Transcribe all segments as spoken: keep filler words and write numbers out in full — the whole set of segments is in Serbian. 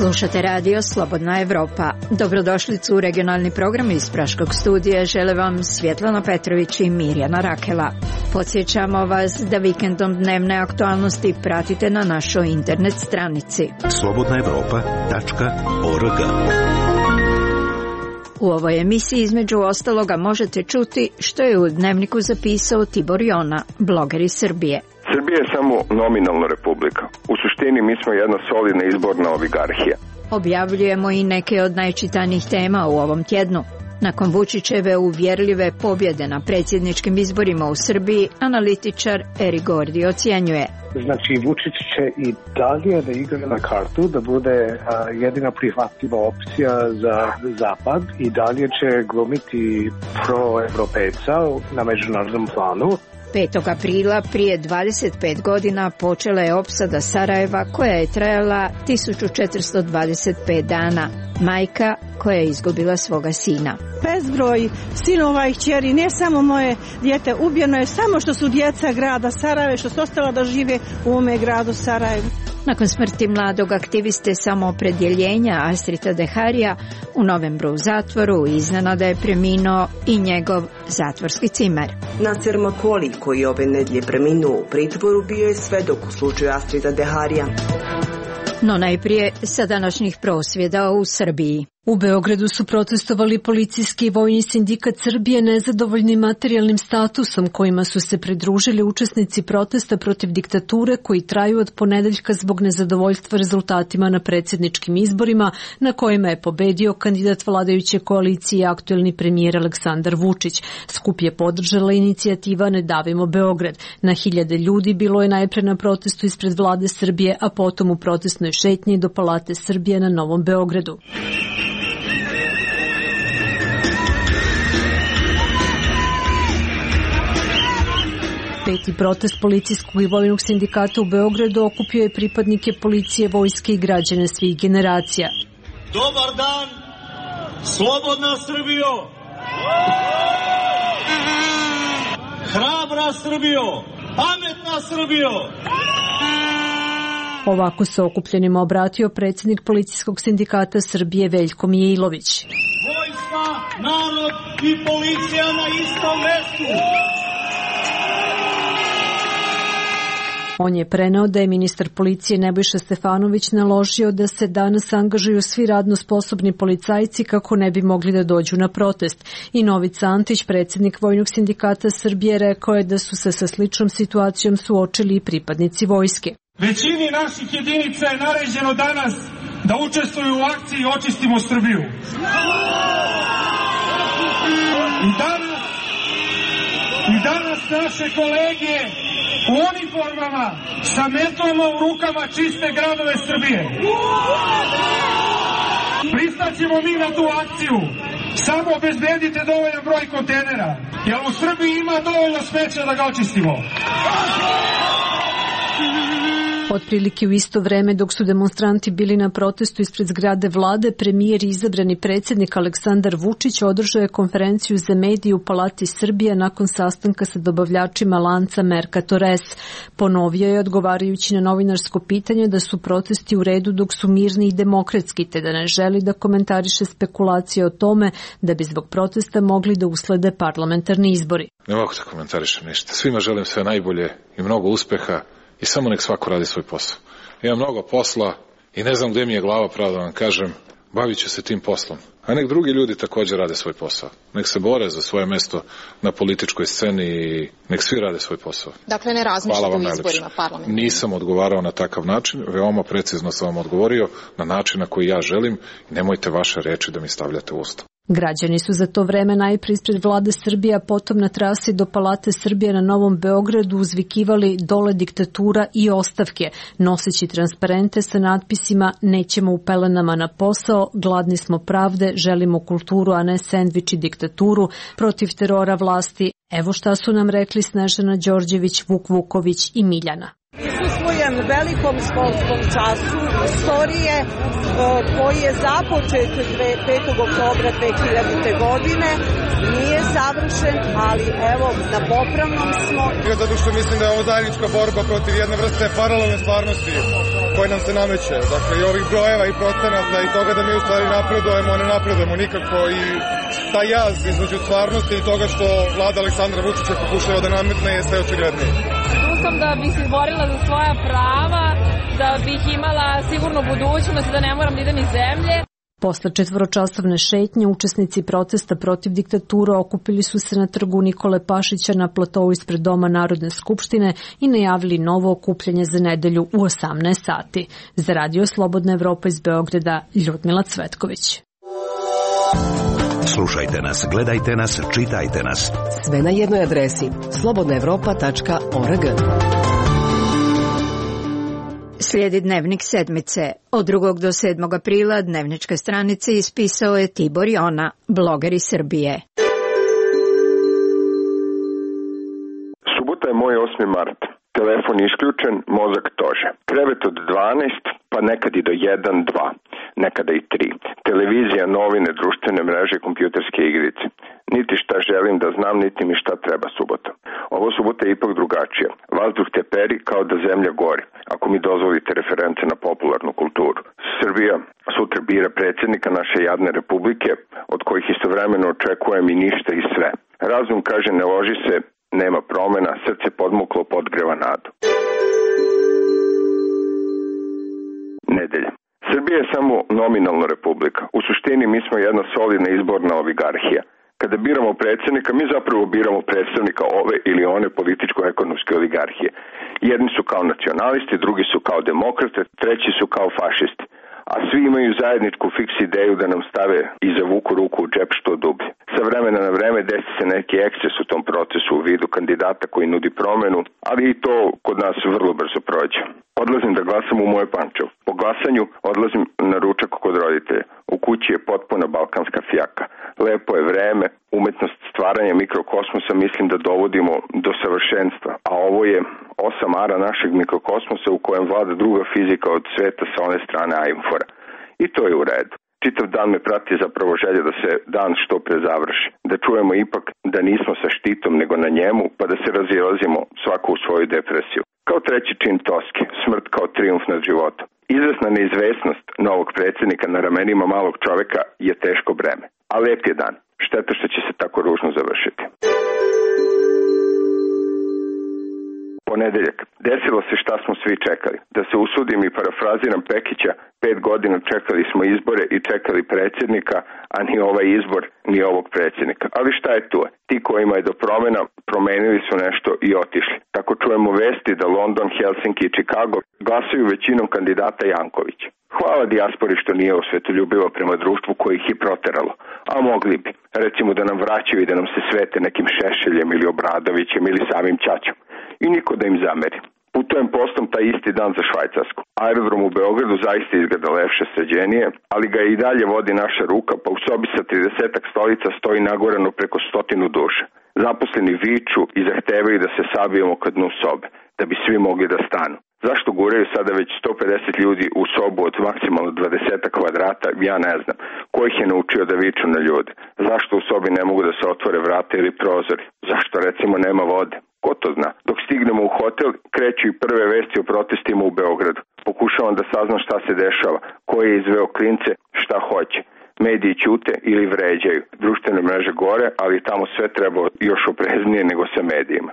Slušate radio Slobodna Evropa. Dobrodošlicu u regionalni program iz Praškog studija žele vam Svjetlana Petrović i Mirjana Rakela. Podsjećamo vas da vikendom dnevne aktualnosti pratite na našoj internet stranici slobodna evropa tačka org. U ovoj emisiji između ostaloga možete čuti što je u dnevniku zapisao Tibor Jona, bloger iz Srbije. Srbija je samo nominalna republika. U suštini mi smo jedna solidna izborna oligarhija. Objavljujemo i neke od najčitanijih tema u ovom tjednu. Nakon Vučićeve uvjerljive pobjede na predsjedničkim izborima u Srbiji, analitičar Eri Gordi ocjenjuje. Znači, Vučić će i dalje da igra na kartu, da bude a, jedina prihvatljiva opcija za Zapad i dalje će glumiti pro-evropejca na međunarodnom planu. petog aprila prije dvadeset pet godina počela je opsada Sarajeva koja je trajala tisuću četiristo dvadeset pet dana. Majka koja je izgubila svoga sina. Bezbroj sinova i kćeri, ne samo moje dijete, ubijeno je samo što su djeca grada Sarajeva, što su ostala da žive u ovome gradu Sarajevu. Nakon smrti mladog aktiviste samoopredjeljenja Astrita Deharija u novembru u zatvoru, iznenada je preminuo i njegov zatvorski cimer. Naser Makoli, koji ove nedjelje preminuo u pritvoru, bio je svedok u slučaju Astrita Deharija. No najprije sa današnjih prosvjeda u Srbiji. U Beogradu su protestovali policijski i vojni sindikat Srbije nezadovoljni materijalnim statusom kojima su se pridružili učesnici protesta protiv diktature koji traju od ponedeljka zbog nezadovoljstva rezultatima na predsjedničkim izborima na kojima je pobedio kandidat vladajuće koalicije aktuelni premijer Aleksandar Vučić. Skup je podržala inicijativa Ne davimo Beograd. Na hiljade ljudi bilo je najpre na protestu ispred vlade Srbije, a potom u protestnoj šetnji do Palate Srbije na Novom Beogradu. Peti protest policijskog i vojnog sindikata u Beogradu okupio je pripadnike policije, vojske i građane svih generacija. Dobar dan, slobodna Srbijo! Hrabra Srbijo! Pametna Srbijo! Ovako se okupljenima obratio predsjednik policijskog sindikata Srbije Veljko Mijailović. Vojska, narod i policija na istom mestu! On je preneo da je ministar policije Nebojša Stefanović naložio da se danas angažuju svi radno sposobni policajci kako ne bi mogli da dođu na protest. I Novica Antić, predsjednik Vojnog sindikata Srbije, rekao je da su se sa sličnom situacijom suočili i pripadnici vojske. Većini naših jedinica je naređeno danas da učestvuju u akciji Očistimo Srbiju. I danas, i danas naše kolege u uniformama sa metlama u rukama čiste gradove Srbije. Pristaćemo mi na tu akciju. Samo obezbedite dovoljan broj kontejnera, jer u Srbiji ima dovoljno smeća da ga očistimo. Otprilike u isto vreme dok su demonstranti bili na protestu ispred zgrade vlade, premijer i izabrani predsjednik Aleksandar Vučić održao je konferenciju za medije u Palati Srbije nakon sastanka sa dobavljačima lanca Mercator S. Ponovio je odgovarajući na novinarsko pitanje da su protesti u redu dok su mirni i demokratski, te da ne želi da komentariše spekulacije o tome da bi zbog protesta mogli da uslede parlamentarni izbori. Ne mogu da komentarišem ništa. Svima želim sve najbolje i mnogo uspeha. I samo nek svako radi svoj posao. Imam mnogo posla i ne znam gde mi je glava, pravo da vam kažem, bavit ću se tim poslom. A nek drugi ljudi također rade svoj posao. Nek se bore za svoje mesto na političkoj sceni i nek svi rade svoj posao. Dakle, ne razmišljate u izborima parlamenta? Nisam odgovarao na takav način, veoma precizno sam vam odgovorio na način na koji ja želim i nemojte vaše reči da mi stavljate u usta. Građani su za to vreme najprije ispred vlade Srbije, a potom na trasi do Palate Srbije na Novom Beogradu uzvikivali dole diktatura i ostavke, noseći transparente sa natpisima nećemo u pelenama na posao, gladni smo pravde, želimo kulturu, a ne sendvič i diktaturu, protiv terora vlasti. Evo šta su nam rekli Snežana Đorđević, Vuk Vuković i Miljana. Prisustvujem velikom školskom času istorije koji je započet petog oktobra dve hiljadite. godine. Nije savršen, ali evo, na popravnom smo. Zato što mislim da je ovo zajednička borba protiv jedne vrste paralelne stvarnosti koji nam se nameće. Dakle, i ovih brojeva i procenata i toga da mi u stvari napredujemo, ne napredujemo nikako i taj jaz između stvarnosti i toga što vlada Aleksandra Vučića pokušava da nametne je sve očigledniji. Tu sam da bih se borila za svoja prava, da bih imala sigurnu budućnost, da ne moram da idem iz zemlje. Posle četvoročasovne šetnje, učesnici protesta protiv diktatura okupili su se na trgu Nikole Pašića na platovu ispred Doma Narodne skupštine i najavili novo okupljanje za nedelju u osamnaest sati. Za Radio Slobodna Evropa iz Beograda, Ljudmila Cvetković. Slušajte nas, gledajte nas, čitajte nas. Sve na jednoj adresi slobodna evropa tačka org. Slijedi Dnevnik sedmice. Od drugog do sedmog aprila dnevničke stranice ispisao je Tibor Jona, bloger iz Srbije. Subota je moj osmi mart. Telefon isključen, mozak tože. Krevet od dvanaest, pa nekad i do jedan, dva, nekada i tri. Televizija, novine, društvene mreže, kompjuterske igrice. Niti šta želim da znam, niti mi šta treba subota. Ovo subota je ipak drugačija. Vazduh teperi kao da zemlja gori, ako mi dozvolite reference na popularnu kulturu. Srbija sutra bira predsjednika naše jadne republike, od kojih istovremeno očekujem i ništa i sve. Razum kaže ne loži se, nema promena, srce podmuklo podgreva nadu. Nedelja. Srbija je samo nominalna republika. U suštini mi smo jedna solidna izborna oligarhija. Kada biramo predsjednika, mi zapravo biramo predstavnika ove ili one političko-ekonomske oligarhije. Jedni su kao nacionalisti, drugi su kao demokrate, treći su kao fašisti. A svi imaju zajedničku fiks ideju da nam stave i zavuku ruku u džep što dublje. Sa vremena na vreme desi se neki eksces u tom procesu u vidu kandidata koji nudi promenu, ali i to kod nas vrlo brzo prođe. Odlazim da glasam u moje Pančevo. Po glasanju odlazim na ručak kod roditelja. U kući je potpuna balkanska fjaka. Lepo je vreme, umetnost stvaranja mikrokosmosa mislim da dovodimo do savršenstva. A ovo je osam ara našeg mikrokosmosa u kojem vlada druga fizika od sveta sa one strane Ajmfora. I to je u redu. Čitav dan me prati zapravo želja da se dan što pre završi. Da čujemo ipak da nismo sa štitom nego na njemu, pa da se razilazimo svako u svoju depresiju. Kao treći čin Toske, smrt kao trijumf nad životom. Izvesna neizvesnost novog predsjednika na ramenima malog čoveka je teško breme. A lep je dan. Šteta što će se tako ružno završiti. Ponedeljak. Desilo se šta smo svi čekali. Da se usudim i parafraziram Pekića, pet godina čekali smo izbore i čekali predsjednika, a ni ovaj izbor, ni ovog predsjednika. Ali šta je tu? Ti kojima je do promjena promenili su nešto i otišli. Tako čujemo vesti da London, Helsinki i Chicago glasuju većinom kandidata Janković. Hvala dijaspori što nije osvetoljubiva prema društvu koje ih je proteralo. A mogli bi, recimo da nam vraćaju i da nam se svete nekim Šešeljem ili Obradovićem ili samim Ćaćom. I niko da im zameri. Putujem poslom taj isti dan za Švajcarsku. Aerodrom u Beogradu zaista izgleda lepše, sređenije, ali ga i dalje vodi naša ruka, pa u sobi sa tridesetak stolica stoji nagorano preko stotinu duša. Zaposleni viču i zahtevaju da se sabijemo kad dnu sobe, da bi svi mogli da stanu. Zašto guraju sada već sto pedeset ljudi u sobu od maksimalno dvadeset kvadrata, ja ne znam. Ko ih je naučio da viču na ljude? Zašto u sobi ne mogu da se otvore vrata ili prozori? Zašto recimo nema vode? Ko to zna? Dok stignemo u hotel, kreću i prve vesti o protestima u Beogradu. Pokušavam da saznam šta se dešava, ko je izveo klince, šta hoće. Mediji ćute ili vređaju. Društvene mreže gore, ali tamo sve treba još opreznije nego sa medijima.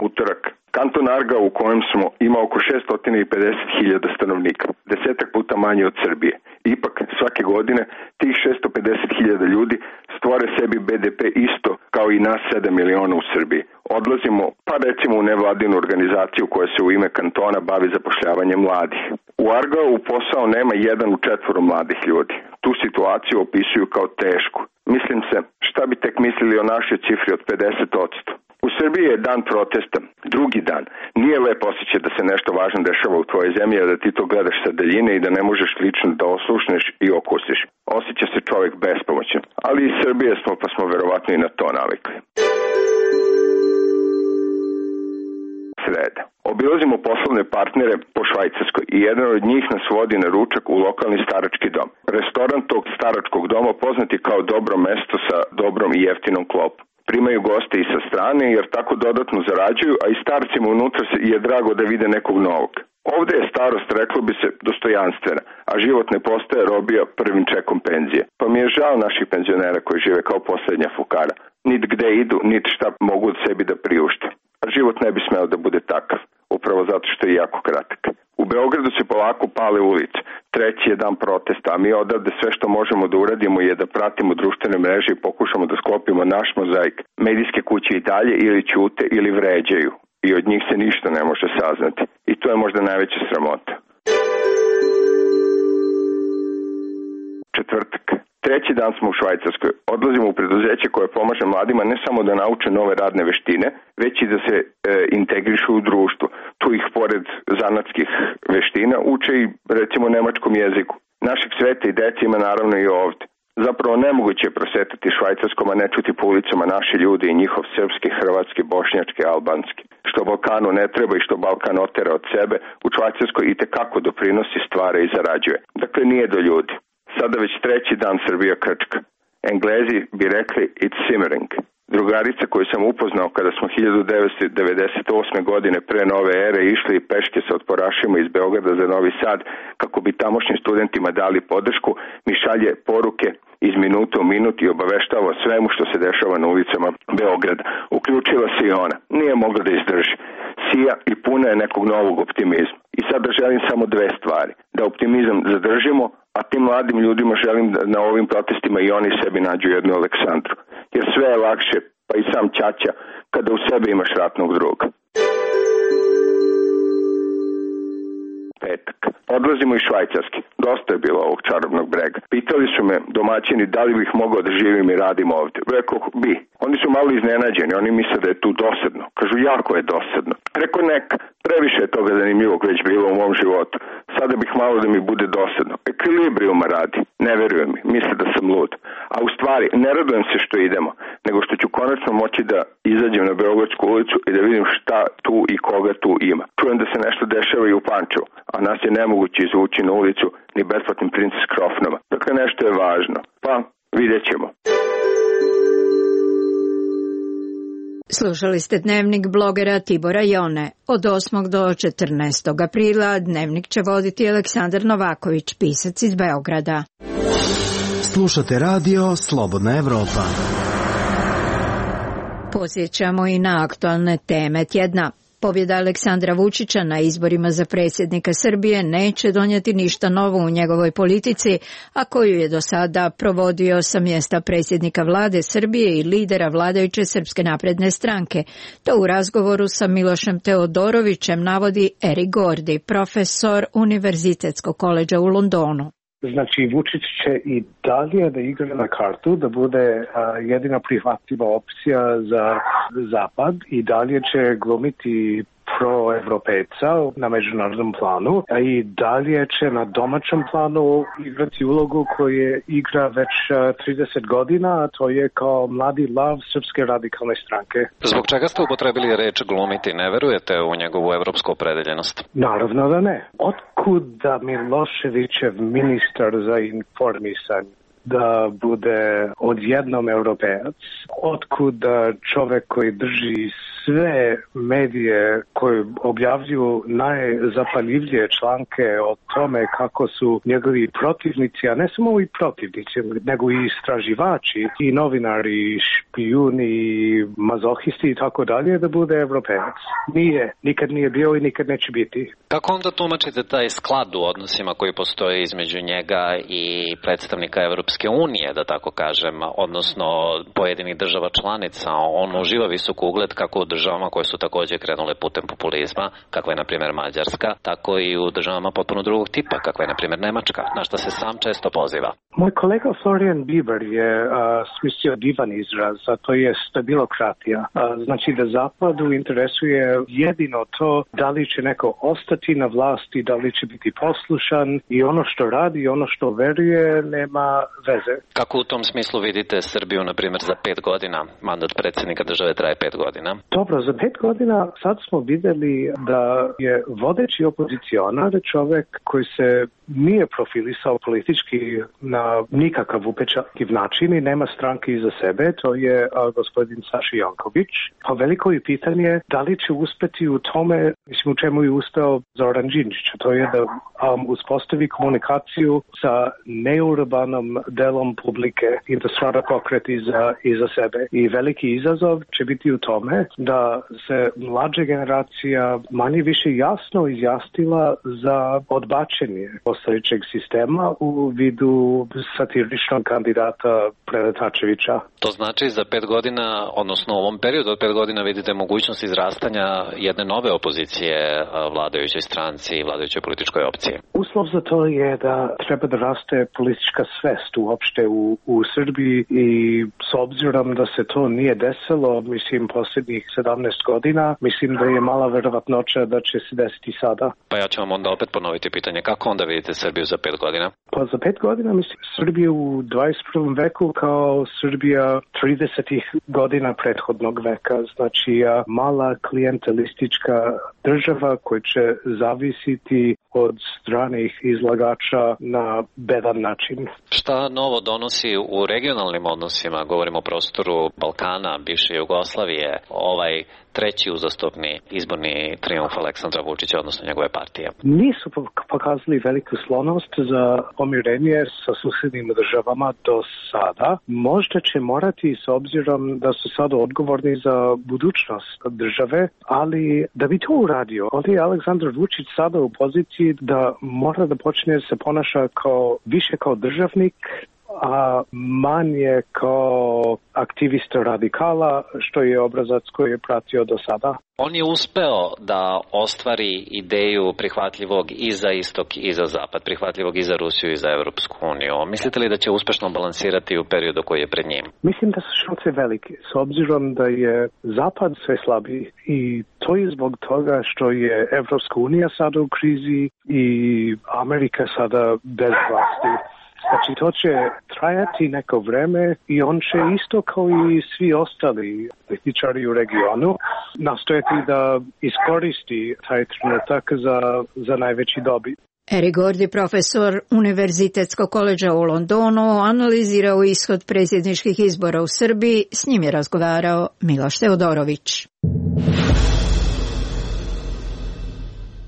Utorak. Kanton Arga u kojem smo ima oko šesto pedeset hiljada stanovnika, desetak puta manje od Srbije. Ipak, svake godine tih šesto pedeset hiljada ljudi stvore sebi be de pe isto kao i nas sedam miliona u Srbiji. Odlazimo, pa recimo u nevladinu organizaciju koja se u ime kantona bavi zapošljavanjem mladih. U Argao u posao nema jedan u četvoro mladih ljudi. Tu situaciju opisuju kao tešku. Mislim se, šta bi tek mislili o našoj cifri od pedeset posto. U Srbiji je dan protesta, drugi dan. Nije lep osjećaj da se nešto važno dešava u tvojoj zemlji, a da ti to gledaš sa daljine i da ne možeš lično da oslušneš i okusiš. Osjeća se čovjek bespomoćan. Ali iz Srbije smo, pa smo verovatno i na to navikli. Sreda. Obilazimo poslovne partnere po Švajcarskoj i jedan od njih nas vodi na ručak u lokalni starački dom. Restoran tog staračkog doma poznat je kao dobro mesto sa dobrom i jeftinom klopom. Primaju goste i sa strane jer tako dodatno zarađuju, a i starcima unutra je drago da vide nekog novog. Ovde je starost, reklo bi se, dostojanstvena, a život ne postaje robija prvim čekom penzije. Pa mi je žao naših penzionera koji žive kao poslednja fukara. Nit gde idu, nit šta mogu od sebi da priušte. A život ne bi smeo da bude takav, upravo zato što je jako kratak. U Beogradu se polako pale ulice. Treći je dan protesta, a mi odavde sve što možemo da uradimo je da pratimo društvene mreže i pokušamo da sklopimo naš mozaik. Medijske kuće i dalje ili ćute ili vređaju i od njih se ništa ne može saznati. I to je možda najveća sramota. Četvrtak. Treći dan smo u Švajcarskoj. Odlazimo u preduzeće koje pomaže mladima ne samo da nauče nove radne veštine, već i da se e, integrišu u društvo. Tu ih pored zanatskih veština uče i recimo nemačkom jeziku. Našeg sveta i dece ima naravno i ovde. Zapravo nemoguće je prosetati Švajcarskom, a ne čuti po ulicama naše ljude i njihov srpski, hrvatski, bošnjački, albanski. Što Balkanu ne treba i što Balkan otera od sebe, u Švajcarskoj i tekako doprinosi, stvara i zarađuje. Dakle, nije do ljudi. Sada već treći dan Srbija krčka. Englezi bi rekli it's simmering. Drugarica koju sam upoznao kada smo hiljadu devetsto devedeset osme. godine pre nove ere išli peške sa otporašima iz Beograda za Novi Sad kako bi tamošnjim studentima dali podršku, mi šalje poruke iz minuta u minut i obaveštava svemu što se dešava na ulicama Beograda. Uključila se i ona. Nije mogla da izdrži. Sija i puna je nekog novog optimizma. I sada želim samo dve stvari. Da optimizam zadržimo, a tim mladim ljudima želim da na ovim protestima i oni sebi nađu jednu Aleksandru. Jer sve je lakše, pa i sam ćaća, kada u sebi imaš ratnog druga. Petak. Odlazimo iz Švajcarske. Dosta je bilo ovog čarobnog brega. Pitali su me domaćini da li bih mogao da živim i radim ovde. Rekao bi. Oni su malo iznenađeni. Oni misle da je tu dosadno. Kažu, jako je dosadno. Rekao, neka. Previše je toga zanimljivog već bilo u mom životu. Sada bih malo da mi bude dosadno. Ekvilibrijuma radi. Ne verujem mi. Misle da sam lud. A u stvari, ne radujem se što idemo, nego što ću konačno moći da izađem na Beogradsku ulicu i da vidim šta tu i koga tu ima. Čujem da se nešto dešava i u Pančevu, a nas je nemoguće izvući na ulicu ni besplatnim Princess Krofnama. Dakle, nešto je važno. Pa, vidjet ćemo. Slušali ste dnevnik blogera Tibora Jone. Od osmog do četrnaestog aprila dnevnik će voditi Aleksandar Novaković, pisac iz Beograda. Slušate radio Slobodna Evropa. Podsjećamo i na aktualne teme tjedna. Pobjeda Aleksandra Vučića na izborima za predsjednika Srbije neće donijeti ništa novo u njegovoj politici, a koju je do sada provodio sa mjesta predsjednika vlade Srbije i lidera vladajuće Srpske napredne stranke. To u razgovoru sa Milošem Teodorovićem navodi Erik Gordi, profesor Univerzitetskog koledža u Londonu. Znači, Vučić će i dalje da igra na kartu, da bude a, jedina prihvatljiva opcija za Zapad i dalje će glumiti proevropejca na međunarodnom planu, a i dalje će na domaćem planu igrati ulogu koju igra već trideset godina, a to je kao mladi lav Srpske radikalne stranke. Zbog čega ste upotrebili reč glumiti? Ne verujete u njegovu evropsku opredeljenost? Naravno da ne. Otkud da Miloševićev ministar za informisanje da bude odjednom europejac? Otkud da čovek koji drži sve medije koji objavljuju najzapaljivije članke o tome kako su njegovi protivnici, a ne samo i protivnici, nego i istraživači, i novinari, i špijuni, i mazohisti i tako dalje, da bude europejac? Nije. Nikad nije bio i nikad neće biti. Kako onda tumačite taj sklad u odnosima koji postoje između njega i predstavnika Evropske unije, da tako kažem, odnosno pojedinih država članica? On uživa visok ugled kako u državama koje su također krenule putem populizma, kakva je na primjer Mađarska, tako i u državama potpuno drugog tipa, kakva je na primjer Nemačka, na što se sam često poziva. Moj kolega Florian Bieber je uh, smislio divan izraz, a to je stabilokratija. Uh, znači da Zapadu interesuje jedino to da li će neko ostati na vlasti, da li će biti poslušan, i ono što radi i ono što veruje nema veze. Kako u tom smislu vidite Srbiju, na primjer, za pet godina? Mandat predsjednika države traje pet godina. To Dobro, za pet godina sad smo vidjeli da je vodeći opozicionar čovjek koji se nije profilisao politički na nikakav upečatljiv način i nema stranke iza sebe, to je a, gospodin Saša Janković. Pa veliko je pitanje da li će uspeti u tome, mislim u čemu je uspeo Zoran Đinđić, to je da um, uspostavi komunikaciju sa neurbanom delom publike i da stvara pokret iza, iza sebe. I veliki izazov će biti u tome da se mlađa generacija manje više jasno izjasnila za odbačenje postojećeg sistema u vidu satiričnog kandidata Preletačevića. To znači za pet godina, odnosno u ovom periodu od pet godina vidite mogućnost izrastanja jedne nove opozicije vladajućoj stranci i vladajućoj političkoj opcije. Uslov za to je da treba da raste politička svest uopšte u, u Srbiji i s obzirom da se to nije desilo, mislim, posljednjih sedamnaest godina, mislim da je mala verovatnoća da će se desiti sada. Pa ja ću vam onda opet ponoviti pitanje, kako onda vidite Srbiju za pet godina? Pa za pet godina mislim Srbiju u dvadeset prvom veku kao Srbija tridesetih godina prethodnog veka, znači mala klijentelistička država koja će zavisiti od stranih izlagača na bedan način. Šta novo donosi u regionalnim odnosima, govorimo o prostoru Balkana, bivše Jugoslavije, ovaj treći uzastopni izborni trijumf Aleksandra Vučića, odnosno njegove partije? Nisu pokazali veliku sklonost za pomirenje sa susednim državama do sada. Možda će morati s obzirom da su sada odgovorni za budućnost države, ali da bi to uradio, ovdje je Aleksandar Vučić sada u poziciji da mora da počne se ponaša kao, više kao državnik, a manje kao aktivista radikala, što je obrazac koji je pratio do sada. On je uspeo da ostvari ideju prihvatljivog i za istok i za zapad, prihvatljivog i za Rusiju i za Evropsku uniju. Mislite li da će uspešno balansirati u periodu koji je pred njim? Mislim da su šanse velike, s obzirom da je zapad sve slabiji i to je zbog toga što je Evropska unija sada u krizi i Amerika sada bez vlasti. Znači, to će trajati neko vreme i on će isto kao i svi ostali političari u regionu nastojati da iskoristi taj trenutak za, za najveći dobit. Eric Gordy, profesor Univerzitetskog koledža u Londonu, analizirao ishod predsjedničkih izbora u Srbiji. S njim je razgovarao Miloš Teodorović.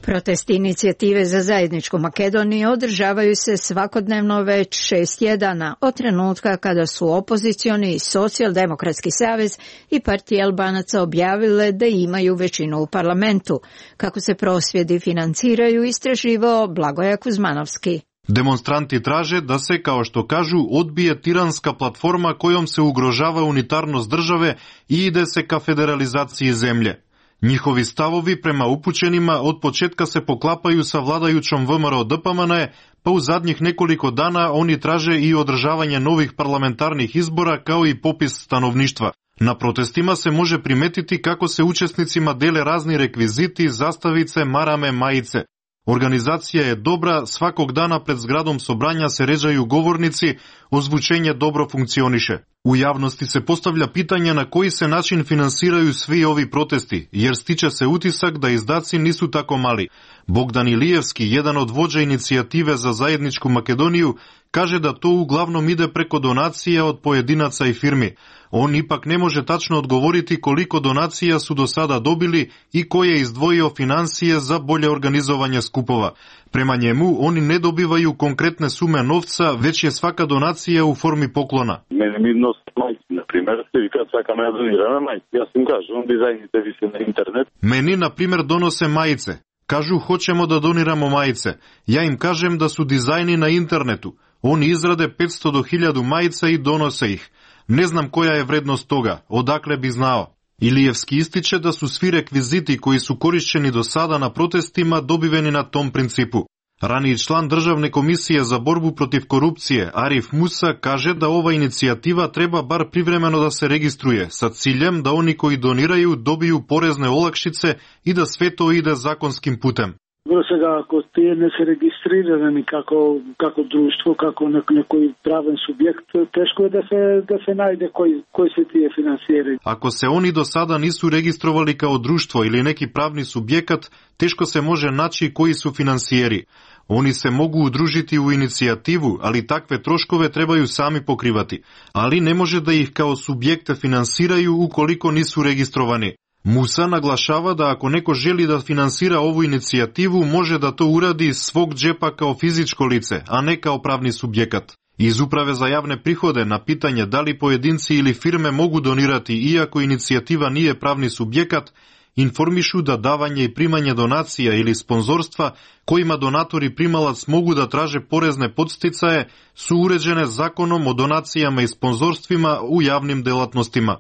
Protesti inicijative za zajedničku Makedoniju održavaju se svakodnevno već šest tjedana od trenutka kada su opozicioni Socijaldemokratski savez i partija Albanaca objavile da imaju većinu u parlamentu. Kako se prosvjedi financiraju, istraživao Blagoja Kuzmanovski. Demonstranti traže da se, kao što kažu, odbije tiranska platforma kojom se ugrožava unitarnost države i ide se ka federalizaciji zemlje. Njihovi stavovi prema upućenima od početka se poklapaju sa vladajućom V M R O D P M N E, pa u zadnjih nekoliko dana oni traže i održavanje novih parlamentarnih izbora kao i popis stanovništva. Na protestima se može primetiti kako se učesnicima dele razni rekviziti, zastavice, marame, majice. Organizacija je dobra, svakog dana pred zgradom sobranja se ređaju govornici, ozvučenje dobro funkcioniše. U javnosti se postavlja pitanje na koji se način finansiraju svi ovi protesti, jer stiče se utisak da izdaci nisu tako mali. Bogdan Ilijevski, jedan od vođa inicijative za zajedničku Makedoniju, kaže da to uglavnom ide preko donacija od pojedinaca i firmi. On ipak ne može tačno odgovoriti koliko donacija su do sada dobili i ko je izdvojio financije za bolje organizovanje skupova. Prema njemu, oni ne dobivaju konkretne sume novca, već je svaka donacija u formi poklona. Mene mi nos majci, na primjer, i kad svaka me donira na majci, ja sam kažu, on dizajnite vi se na internet. Meni, na primjer, donose majice. Kažu, hoćemo da doniramo majice. Ja im kažem da su dizajni na internetu. Oni izrade petsto do hiljadu majica i donose ih. Ne znam koja je vrednost toga, odakle bi znao. Ilijevski ističe da su svi rekviziti koji su korišćeni do sada na protestima dobiveni na tom principu. Raniji član Državne komisije za borbu protiv korupcije Arif Musa kaže da ova inicijativa treba bar privremeno da se registruje sa ciljem da oni koji doniraju dobiju porezne olakšice i da sve to ide zakonskim putem. Vrlo svega, ako ti ne se registrirani kako, kako društvo, kako neki pravan subjekt, teško je da se, da se najde koji, koji se ti je finansiraju. Ako se oni do sada nisu registrovali kao društvo ili neki pravni subjekat, teško se može naći koji su finansijeri. Oni se mogu udružiti u inicijativu, ali takve troškove trebaju sami pokrivati, ali ne može da ih kao subjekte finansiraju ukoliko nisu registrovani. Musa naglašava da ako neko želi da finansira ovu inicijativu, može da to uradi iz svog džepa kao fizičko lice, a ne kao pravni subjekat. Iz Uprave za javne prihode na pitanje da li pojedinci ili firme mogu donirati iako inicijativa nije pravni subjekat, informišu da davanje i primanje donacija ili sponzorstva kojima donator i primalac mogu da traže porezne podsticaje su uređene zakonom o donacijama i sponzorstvima u javnim delatnostima.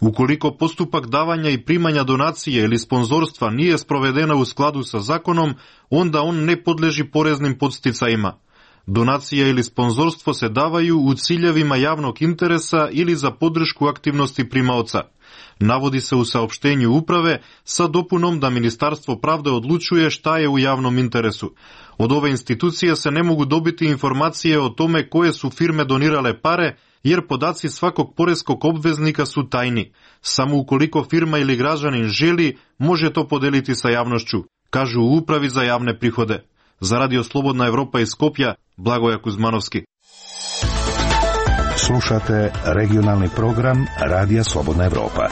Ukoliko postupak davanja i primanja donacije ili sponzorstva nije sprovedena u skladu sa zakonom, onda on ne podleži poreznim podsticajima. Donacija ili sponzorstvo se davaju u ciljevima javnog interesa ili za podršku aktivnosti primaoca. Navodi se u saopštenju uprave sa dopunom da Ministarstvo pravde odlučuje šta je u javnom interesu. Od ove institucije se ne mogu dobiti informacije o tome koje su firme donirale pare, jer podaci svakog poreskog obveznika su tajni. Samo ukoliko firma ili građanin želi, može to podeliti sa javnošću, kažu u Upravi za javne prihode. Za Radio Slobodna Evropa iz Skopja, Blagoja Kuzmanovski. Slušate regionalni program Radija Slobodna Evropa.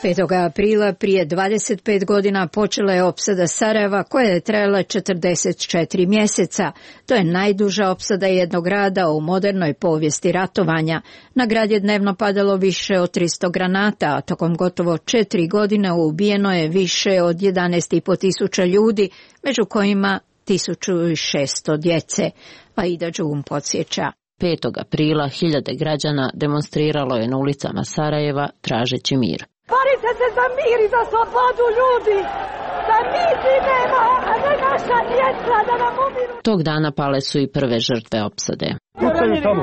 petog aprila prije dvadeset pet godina počela je opsada Sarajeva koja je trajala četrdeset četiri mjeseca. To je najduža opsada jednog grada u modernoj povijesti ratovanja. Na grad je dnevno padalo više od tristo granata, a tokom gotovo četiri godine ubijeno je više od jedanaest i po tisuća ljudi, među kojima tisuću šesto djece. Aida Đum podsjeća. petog aprila hiljade građana demonstriralo je na ulicama Sarajeva tražeći mir. Borite se za mir i za slobodu ljudi, da mi živimo, a ne naša djeca da nam umiru. Tog dana pale su i prve žrtve opsade. Pucaju tamo,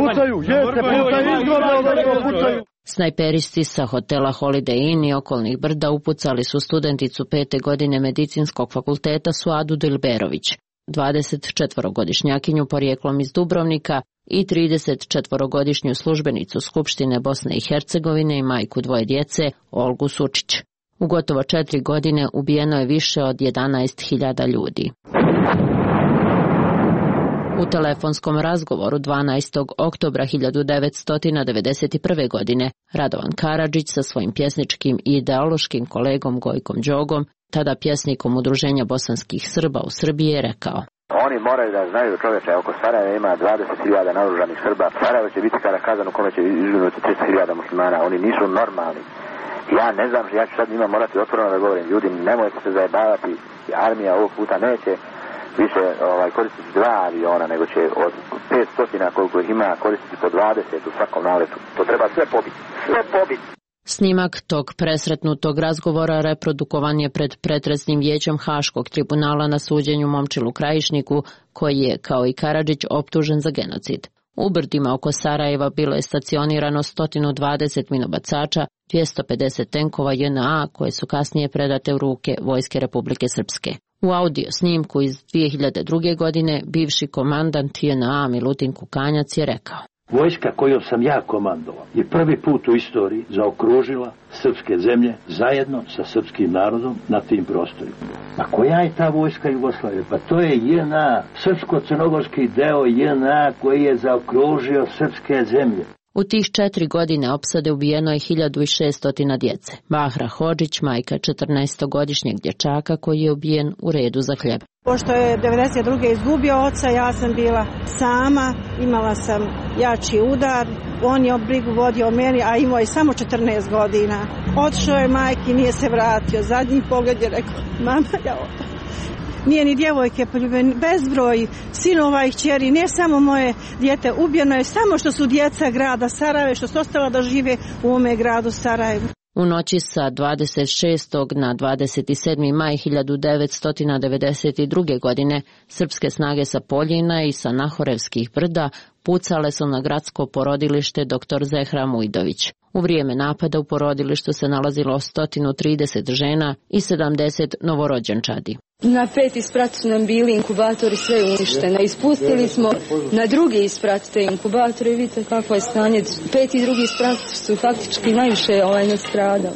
pucaju, jeste, pucaju, izgleda, pucaju. Snajperisti sa hotela Holiday Inn i okolnih brda upucali su studenticu pete godine medicinskog fakulteta Suadu Dilberović, dvadeset četvorogodišnjakinju porijeklom iz Dubrovnika i trideset četvorogodišnju službenicu Skupštine Bosne i Hercegovine i majku dvoje djece, Olgu Sučić. U gotovo četiri godine ubijeno je više od jedanaest hiljada ljudi. U telefonskom razgovoru dvanaestog oktobra hiljadu devetsto devedeset prve. godine Radovan Karadžić sa svojim pjesničkim i ideološkim kolegom Gojkom Đogom, tada pjesnikom Udruženja bosanskih Srba u Srbiji, je rekao: Oni moraju da znaju, čoveče, oko Sarajeva ima dvadeset hiljada naoružanih Srba. Sarajevo će biti kada kazan u kome će izginuti tristo hiljada muslimana. Oni nisu normalni. Ja ne znam, ja ću sad njima morati otvoreno da govorim. Ljudi, nemojte se zajebavati. Armija ovog puta neće više ovaj, koristiti dva aviona, nego će od petsto koliko ih ima koristiti po dvadeset u svakom naletu. To treba sve pobiti. Sve pobiti. Snimak tog presretnutog razgovora reprodukovan je pred pretresnim vijećem Haškog tribunala na suđenju Momčilu Krajišniku, koji je, kao i Karadžić, optužen za genocid. U brdima oko Sarajeva bilo je stacionirano sto dvadeset minobacača, dvjesto pedeset tenkova J N A, koje su kasnije predate u ruke Vojske Republike Srpske. U audio snimku iz dvije hiljade druge. godine bivši komandant J N A Milutin Kukanjac je rekao: Vojska kojom sam ja komandovao je prvi put u istoriji zaokružila srpske zemlje zajedno sa srpskim narodom na tim prostorima. A koja je ta vojska Jugoslavije? Pa to je J N A, srpsko-crnogorski deo J N A koji je zaokružio srpske zemlje. U tih četiri godine opsade ubijeno je hiljadu šesto djece. Bahra Hodžić, majka četrnaestogodišnjeg dječaka koji je ubijen u redu za hljeb. Pošto je devedeset druge izgubio oca, ja sam bila sama, imala sam jači udar, on je brigu vodio o meni, a imao je samo četrnaest godina. Otišao je majki, nije se vratio, zadnji pogled je rekao: mama, ja odo. Nije ni djevojke poljubljene, bezbroj sinova i kćeri, ne samo moje dijete, ubijeno je samo što su djeca grada Sarajeva, što su ostala da žive u ovome gradu Sarajevu. U noći sa dvadeset šestog na dvadeset sedmi maj hiljadu devetsto devedeset druge. godine srpske snage sa Poljina i sa Nahorevskih brda pucale su na gradsko porodilište doktor Zehra Mujdović. U vrijeme napada u porodilištu se nalazilo sto trideset žena i sedamdeset novorođenčadi. Na peti sprat su nam bili inkubatori sve uništene. Ispustili smo na drugi sprat te inkubatore i vidite kakvo je stanje. Peti i drugi sprat su faktički najviše ovaj nastradali.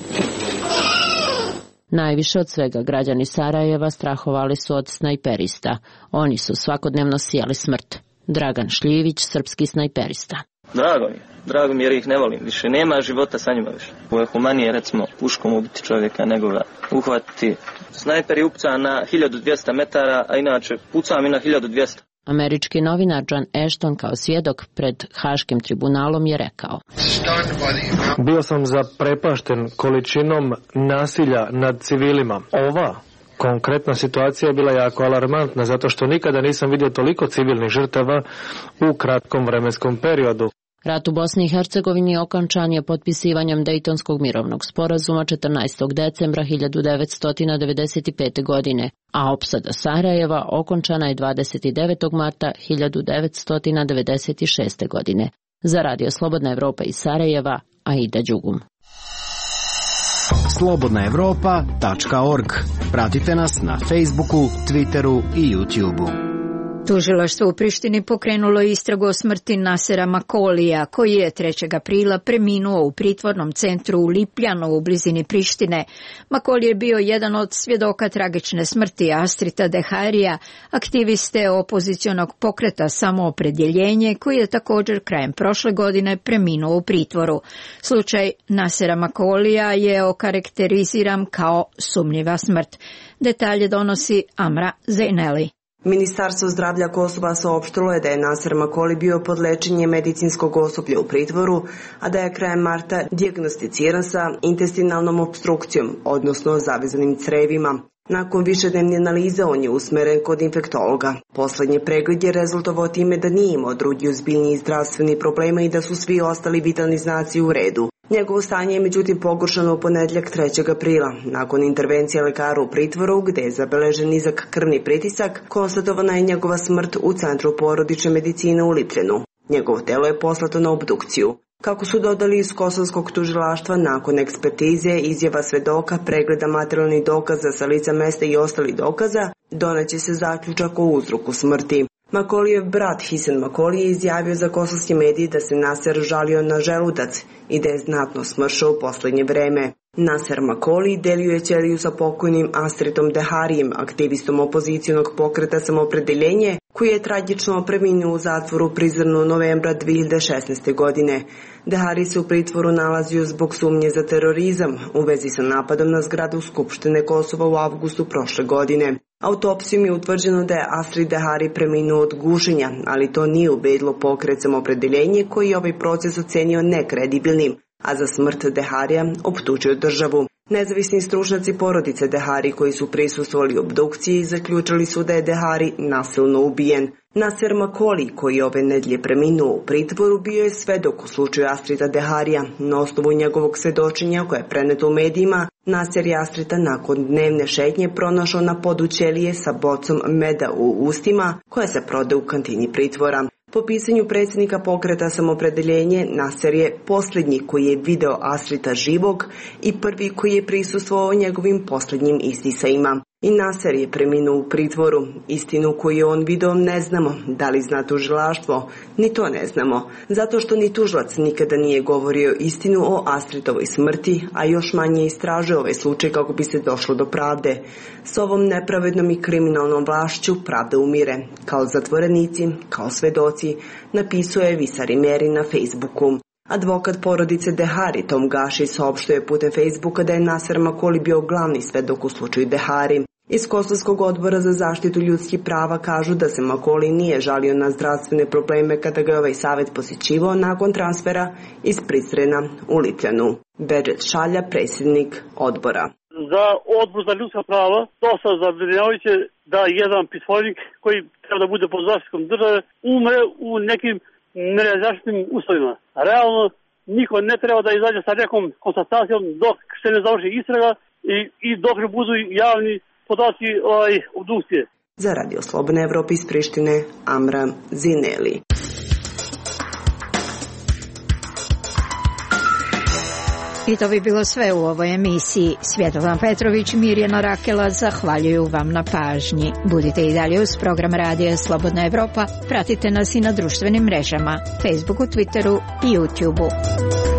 Najviše od svega građani Sarajeva strahovali su od snajperista. Oni su svakodnevno sijali smrt. Dragan Šljivić, srpski snajperista. Drago mi, drago mi jer ih ne volim. Više nema života sa njima više. Ovo je humanije, recimo, puškom ubiti čovjeka nego ga uhvatiti. Snajper je upucan na hiljadu dvjesto metara, a inače pucam i na hiljadu dvjesto. Američki novinar John Ashton kao svjedok pred Haškim tribunalom je rekao: Bio sam zaprepašten količinom nasilja nad civilima. Ova konkretna situacija je bila jako alarmantna zato što nikada nisam vidio toliko civilnih žrtava u kratkom vremenskom periodu. Rat u Bosni i Hercegovini okončan je potpisivanjem Dejtonskog mirovnog sporazuma četrnaestog decembra hiljadu devetsto devedeset pete. godine, a opsada Sarajeva okončana je dvadeset devetog marta hiljadu devetsto devedeset šeste. godine. Za Radio Slobodna Evropa iz Sarajeva, Aida Đugum. slobodna evropa tačka org. Pratite nas na Facebooku, Twitteru i YouTubeu. Tužilaštvo u Prištini pokrenulo istragu o smrti Nasera Makolija, koji je trećeg aprila preminuo u pritvornom centru u Lipljanu u blizini Prištine. Makoli je bio jedan od svjedoka tragične smrti Astrita Deharija, aktiviste opozicionog pokreta Samoopredjeljenje, koji je također krajem prošle godine preminuo u pritvoru. Slučaj Nasera Makolija je okarakteriziran kao sumnjiva smrt. Detalje donosi Amra Zejneli. Ministarstvo zdravlja Kosova saopštilo je da je Naser Makoli bio pod lečenjem medicinskog osoblja u pritvoru, a da je krajem marta dijagnosticiran sa intestinalnom opstrukcijom, odnosno zavezanim crevima. Nakon višednevne analize on je usmeren kod infektologa. Poslednji pregled je rezultovao time da nije imao drugi ozbiljniji zdravstveni problema i da su svi ostali vitalni znaci u redu. Njegovo stanje je međutim pogoršano u ponedjeljak trećeg aprila. Nakon intervencije lekara u pritvoru, gde je zabeležen nizak krvni pritisak, konstatovana je njegova smrt u Centru porodične medicine u Lipljanu. Njegovo telo je poslato na obdukciju. Kako su dodali iz kosovskog tužilaštva, nakon ekspertize, izjava svedoka, pregleda materijalnih dokaza sa lica mesta i ostalih dokaza, doneće se zaključak o uzroku smrti. Makolijev brat Hisen Makoli je izjavio za kosovski mediji da se Naser žalio na želudac i da je znatno smršao u poslednje vreme. Naser Makoli delio je ćeliju sa pokojnim Astritom Deharijem, aktivistom opozicijonog pokreta Samoopredjeljenje, koji je tragično preminuo u zatvoru Prizrenu novembra dve hiljade šesnaeste. godine. Dehari se u pritvoru nalazio zbog sumnje za terorizam u vezi sa napadom na zgradu Skupštine Kosova u avgustu prošle godine. Autopsijom je utvrđeno da je Astrid Dehari preminuo od gušenja, ali to nije ubedilo pokret Samoopredjeljenje koji je ovaj proces ocenio nekredibilnim, a za smrt Deharija optužio državu. Nezavisni stručnjaci porodice Dehari koji su prisustvovali obdukciji zaključili su da je Dehari nasilno ubijen. Naser Makoli, koji je ove nedjelje preminuo u pritvoru, bio je svedok u slučaju Astrita Deharija. Na osnovu njegovog svedočenja koje je preneto u medijima, Naser je Astrita nakon dnevne šetnje pronašao na podu ćelije sa bocom meda u ustima koja se prode u kantini pritvora. Po pisanju predsjednika pokreta Samoopredjeljenje, Naser je posljednji koji je video Astrita živog i prvi koji je prisustvovao njegovim posljednjim izdisajima. I Naser je preminuo u pritvoru. Istinu koju je on video ne znamo. Da li zna tužilaštvo? Ni to ne znamo. Zato što ni tužilac nikada nije govorio istinu o Astritovoj smrti, a još manje istražuje ovaj slučaj kako bi se došlo do pravde. S ovom nepravednom i kriminalnom vlašću pravda umire. Kao zatvorenici, kao svedoci, napisao je Visari Meri na Facebooku. Advokat porodice Dehari Tom Gaši saopštuje putem Facebooka da je Naser Makoli bio glavni svedok u slučaju Dehari. Iz Kosovskog odbora za zaštitu ljudskih prava kažu da se Makoli nije žalio na zdravstvene probleme kada ga je ovaj savjet posjećivao nakon transfera iz Prizrena u Lipljanu. Bedžet Šalja, predsjednik odbora. Za odbor za ljudska prava dosta zabrinjavajuće da jedan pritvornik koji treba da bude pod zaštitom države umre u nekim nerazjašnjenim uslovima. Realno, niko ne treba da izađe sa nekom konstatacijom dok se ne završi istraga i, i dok ne budu javni podaci ovaj, obdukcije. Za Radio Slobodne Evrope iz Prištine, Amra Zineli. I to bi bilo sve u ovoj emisiji. Svjetlana Petrović i Mirjana Rakela zahvaljuju vam na pažnji. Budite i dalje uz program Radija Slobodna Evropa. Pratite nas i na društvenim mrežama, Facebooku, Twitteru i YouTubeu.